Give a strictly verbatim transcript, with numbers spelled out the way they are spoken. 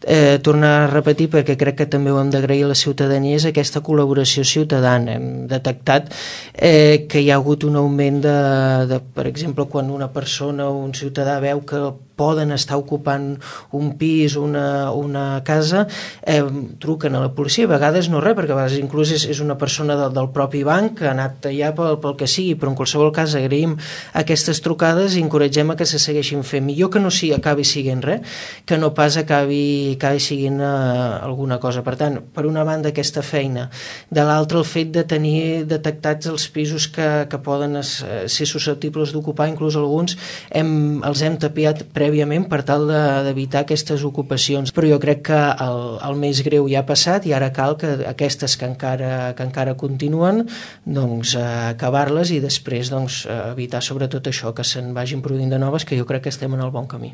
eh, tornar a repetir, perquè crec que també ho hem d'agrair a la ciutadania, és aquesta col·laboració ciutadana. Hem detectat eh, que hi ha hagut un augment de, de, per exemple, quan una persona o un ciutadà veu que poden estar ocupant un pis o una, una casa, eh, truquen a la policia, a vegades no res, perquè a vegades inclús és, és una persona del, del propi banc que ha anat allà pel, pel que sigui, però en qualsevol cas agraïm aquestes trucades i encoratgem a que se segueixin fent. Millor que no sigui, acabi siguent res, que no pas acabi, acabi siguent eh, alguna cosa. Per tant, per una banda aquesta feina, de l'altra el fet de tenir detectats els pisos que, que poden es, ser susceptibles d'ocupar, inclús alguns hem, els hem tapiat prèviament per tal d'evitar aquestes ocupacions, però jo crec que el, el més greu ja ha passat i ara cal que aquestes que encara, que encara continuen doncs eh, acabar-les i després doncs, evitar sobretot això, que se'n vagin produint de noves, que jo crec que estem en el bon camí.